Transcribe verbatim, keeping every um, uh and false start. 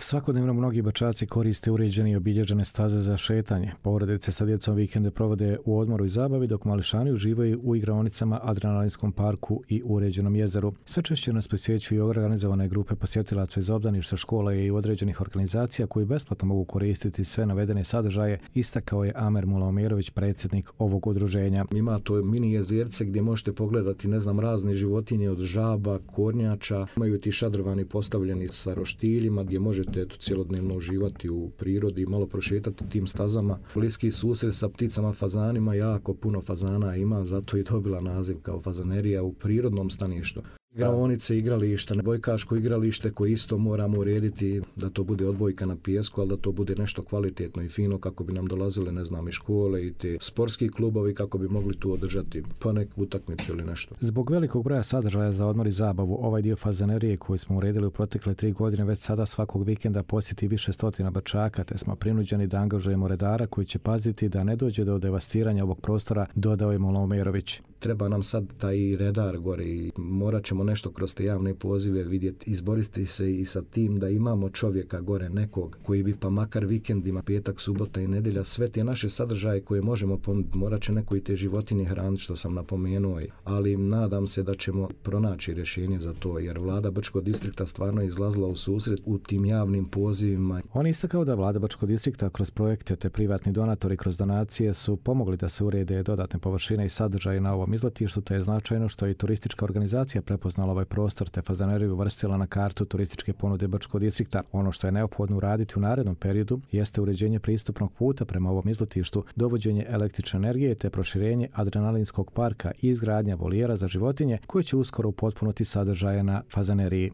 Svakodnevno mnogi Bačaci koriste uređene i obilježene staze za šetanje. Porodice sa djecom vikende provode u odmoru i zabavi, dok mališani uživaju u igraonicama, adrenalinskom parku i uređenom jezeru. Sve češće nas posjećuju organizovane grupe posjetilaca iz obdaništa, škola i određenih organizacija koji besplatno mogu koristiti sve navedene sadržaje, istakao je Amer Mulaomerović, predsjednik ovog udruženja. Ima to mini jezerce gdje možete pogledati, ne znam, razne životinje od žaba, kornjača. Imaju ti šadrovani postavljeni sa roštiljima gdje možete eto, cijelodnevno uživati u prirodi i malo prošetati tim stazama. Bliski susret sa pticama fazanima, jako puno fazana ima, zato i dobila naziv kao fazanerija u prirodnom staništu. Igraonice, igrališta, bojkaško igralište koje isto moramo urediti da to bude odbojka na pijesku, ali da to bude nešto kvalitetno i fino kako bi nam dolazile, ne znam, i škole i te sportski klubovi kako bi mogli tu održati pa neku utakmicu ili nešto. Zbog velikog broja sadržaja za odmor i zabavu, ovaj dio fazanerije koji smo uredili u protekle tri godine već sada svakog vikenda posjeti više stotina Bačaka, te smo prinuđeni da angažujemo redara koji će paziti da ne dođe do devastiranja ovog prostora, dodao je Mulaomerović. Treba nam sad taj redar gore i morat ćemo nešto kroz te javne pozive vidjeti, izboriti se i sa tim da imamo čovjeka gore nekog koji bi pa makar vikendima, petak, subota i nedjelja, sve te naše sadržaje koje možemo ponuditi, morat će neko i te životinje hraniti što sam napomenuo, ali nadam se da ćemo pronaći rješenje za to jer vlada Brčkog distrikta stvarno izlazila u susret u tim javnim pozivima. On je istakao da vlada Brčkog distrikta kroz projekte te privatni donatori kroz donacije su pomogli da se urede dodatne površine i sadržaje na ovom izletištu, te je značajno što je i turistička organizacija prepoznala ovaj prostor te fazaneriju uvrstila na kartu turističke ponude Brčkog distrikta. Ono što je neophodno uraditi u narednom periodu jeste uređenje pristupnog puta prema ovom izletištu, dovođenje električne energije te proširenje adrenalinskog parka i izgradnja volijera za životinje koje će uskoro upotpuniti sadržaje na fazaneriji.